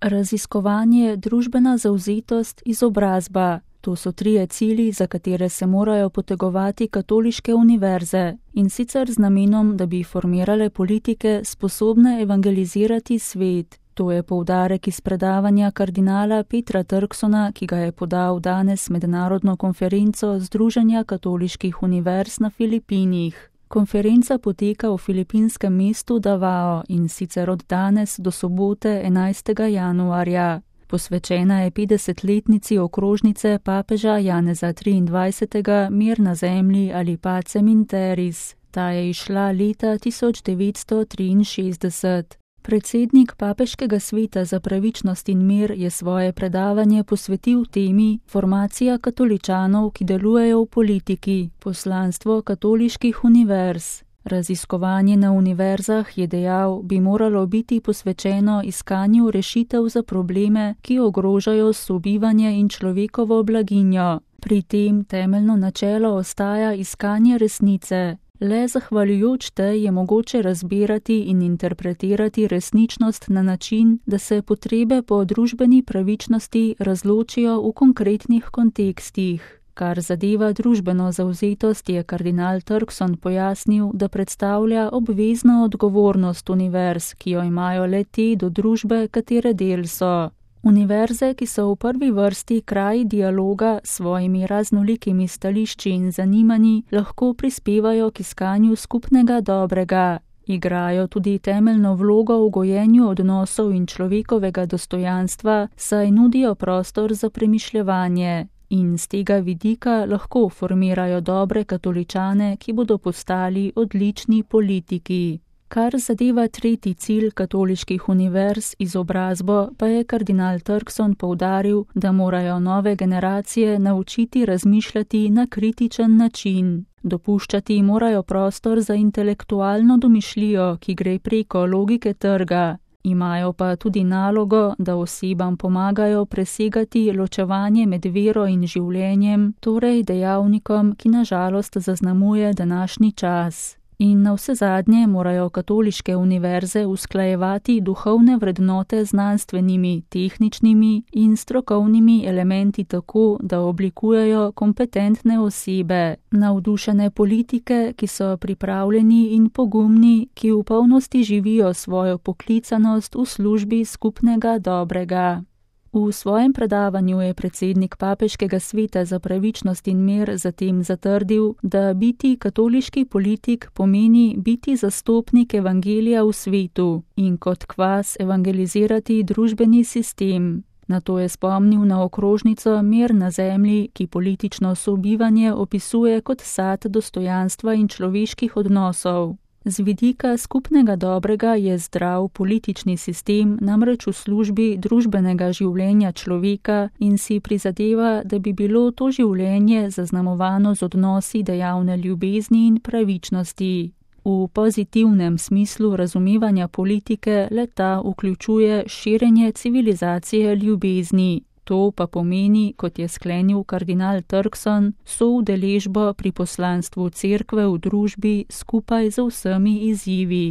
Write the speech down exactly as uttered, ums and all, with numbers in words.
Raziskovanje, družbena zavzetost, izobrazba. To so trije cilji, za katere se morajo potegovati katoliške univerze, in sicer z namenom, da bi formirale politike sposobne evangelizirati svet. To je poudarek iz predavanja kardinala Petra Turksona, ki ga je podal danes mednarodno konferenco Združenja katoliških univerz na Filipinih. Konferenca poteka v filipinskem mestu Davao in sicer od danes do sobote enajstega januarja. Posvečena je petdesetletnici okrožnice papeža Janeza triindvajsetega Mir na zemlji ali Pacem in Terris. Ta je izšla leta tisoč devetsto triinšestdeset. Predsednik Papeškega sveta za pravičnost in mir je svoje predavanje posvetil temi Formacija katoličanov, ki delujejo v politiki, poslanstvo katoliških univerz. Raziskovanje na univerzah, je dejal, bi moralo biti posvečeno iskanju rešitev za probleme, ki ogrožajo sobivanje in človekovo blaginjo. Pri tem temeljno načelo ostaja iskanje resnice. Le zahvaljujoč tej je mogoče razbirati in interpretirati resničnost na način, da se potrebe po družbeni pravičnosti razločijo v konkretnih kontekstih. Kar zadeva družbeno zavzetost, je kardinal Turkson pojasnil, da predstavlja obvezno odgovornost univerz, ki jo imajo le te do družbe, katere del so. Univerze, ki so v prvi vrsti kraji dialoga s svojimi raznolikimi stališči in zanimanji, lahko prispevajo k iskanju skupnega dobrega. Igrajo tudi temeljno vlogo v gojenju odnosov in človekovega dostojanstva, saj nudijo prostor za premišljevanje. In z tega vidika lahko formirajo dobre katoličane, ki bodo postali odlični politiki. Kar zadeva tretji cilj katoliških univerz, izobrazbo, pa je kardinal Turkson poudaril, da morajo nove generacije naučiti razmišljati na kritičen način. Dopuščati morajo prostor za intelektualno domišljijo, ki gre preko logike trga. Imajo pa tudi nalogo, da osebam pomagajo presegati ločevanje med vero in življenjem, torej dejavnikom, ki na žalost zaznamuje današnji čas. In navsezadnje morajo katoliške univerze usklajevati duhovne vrednote z znanstvenimi, tehničnimi in strokovnimi elementi tako, da oblikujejo kompetentne osebe, navdušene politike, ki so pripravljeni in pogumni, ki v polnosti živijo svojo poklicanost v službi skupnega dobrega. V svojem predavanju je predsednik Papeškega sveta za pravičnost in mir zatem zatrdil, da biti katoliški politik pomeni biti zastopnik evangelija v svetu in kot kvas evangelizirati družbeni sistem. Nato je spomnil na okrožnico Mir na zemlji, ki politično sobivanje opisuje kot sad dostojanstva in človeških odnosov. Z vidika skupnega dobrega je zdrav politični sistem namreč v službi družbenega življenja človeka in si prizadeva, da bi bilo to življenje zaznamovano z odnosi dejavne ljubezni in pravičnosti. V pozitivnem smislu razumevanja politike le-ta vključuje širjenje civilizacije ljubezni. To pa pomeni, kot je sklenil kardinal Turkson, soudeležbo pri poslanstvu cerkve v družbi skupaj z vsemi izzivi.